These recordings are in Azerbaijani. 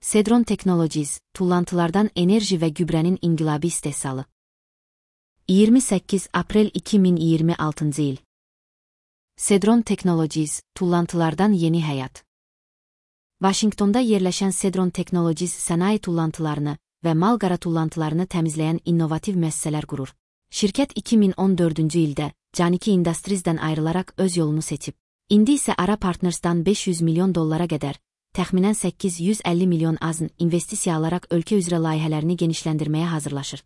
Sedron Technologies, tullantılardan enerji ve gübrenin inqilabi istehsalı. 28 Aprel 2026 il. Sedron Technologies, tullantılardan yeni həyat. Washingtonda yerləşən Sedron Technologies sənaye tullantılarını və malqara tullantılarını təmizləyən innovativ müəssisələr qurur. Şirkət 2014-cü ildə Caniki Industries'dən ayrılaraq öz yolunu seçib. İndi isə Ara Partners'dan $500 milyon qədər, təxminən 850 milyon azn investisiya alaraq ölkə üzrə layihələrini genişləndirməyə hazırlaşır.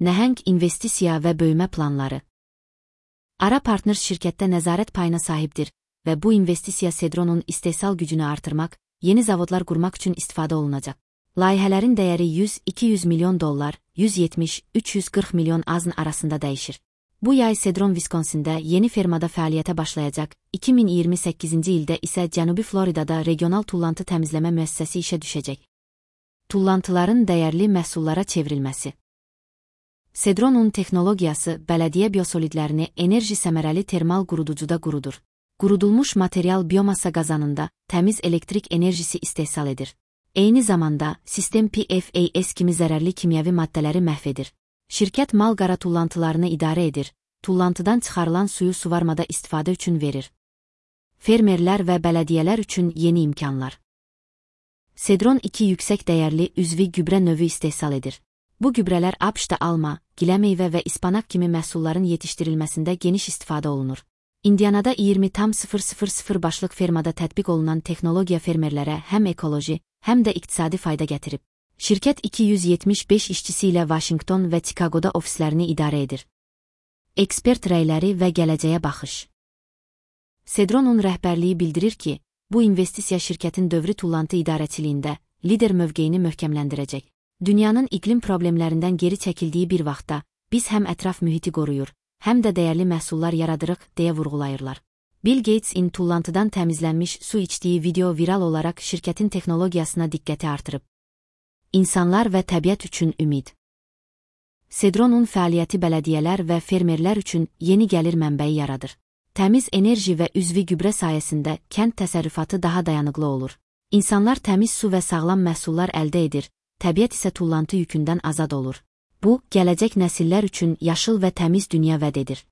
Nəhəng investisiya və böyümə planları. Ara Partners şirkətdə nəzarət payına sahibdir və bu investisiya Sedronun istehsal gücünü artırmaq, yeni zavodlar qurmaq üçün istifadə olunacaq. Layihələrin dəyəri $100-200 milyon, $170-340 milyon azn arasında dəyişir. Bu yay Sedron Wisconsin'də yeni fermada fəaliyyətə başlayacaq, 2028-ci ildə isə Cənubi Floridada regional tullantı təmizləmə müəssisəsi işə düşəcək. Tullantıların dəyərli məhsullara çevrilməsi. Sedronun texnologiyası bələdiyyə biosolidlərini enerji səmərəli termal quruducuda qurudur. Qurudulmuş material biomassa qazanında təmiz elektrik enerjisi istehsal edir. Eyni zamanda, sistem PFAS kimi zərərli kimyəvi maddələri məhv edir. Şirkət malqara tullantılarını idarə edir, tullantıdan çıxarılan suyu suvarmada istifadə üçün verir. Fermerlər və bələdiyyələr üçün yeni imkanlar. Sedron 2 yüksək dəyərli üzvi gübrə növü istehsal edir. Bu gübrələr ABŞ-da alma, giləmeyvə və ispanaq kimi məhsulların yetişdirilməsində geniş istifadə olunur. Indianada 20,000 başlıq fermada tətbiq olunan texnologiya fermerlərə həm ekoloji, həm də iqtisadi fayda gətirib. Şirkət 275 işçisi ilə Washington və Chicago'da ofislərini idarə edir. Ekspert rəyləri və gələcəyə baxış. Sedronun rəhbərliyi bildirir ki, bu investisiya şirkətin dövrü tullantı idarəçiliyində lider mövqeyini möhkəmləndirəcək. Dünyanın iqlim problemlərindən geri çəkildiyi bir vaxtda, biz həm ətraf mühiti qoruyur, həm də dəyərli məhsullar yaradırıq, deyə vurğulayırlar. Bill Gates-in tullantıdan təmizlənmiş su içdiyi video viral olaraq şirkətin texnologiyasına diqqəti artırıb. İnsanlar və təbiət üçün ümid. Sedronun fəaliyyəti bələdiyyələr və fermerlər üçün yeni gəlir mənbəyi yaradır. Təmiz enerji və üzvi gübrə sayəsində kənd təsərrüfatı daha dayanıqlı olur. İnsanlar təmiz su və sağlam məhsullar əldə edir, təbiət isə tullantı yükündən azad olur. Bu, gələcək nəsillər üçün yaşıl və təmiz dünya vəd edir.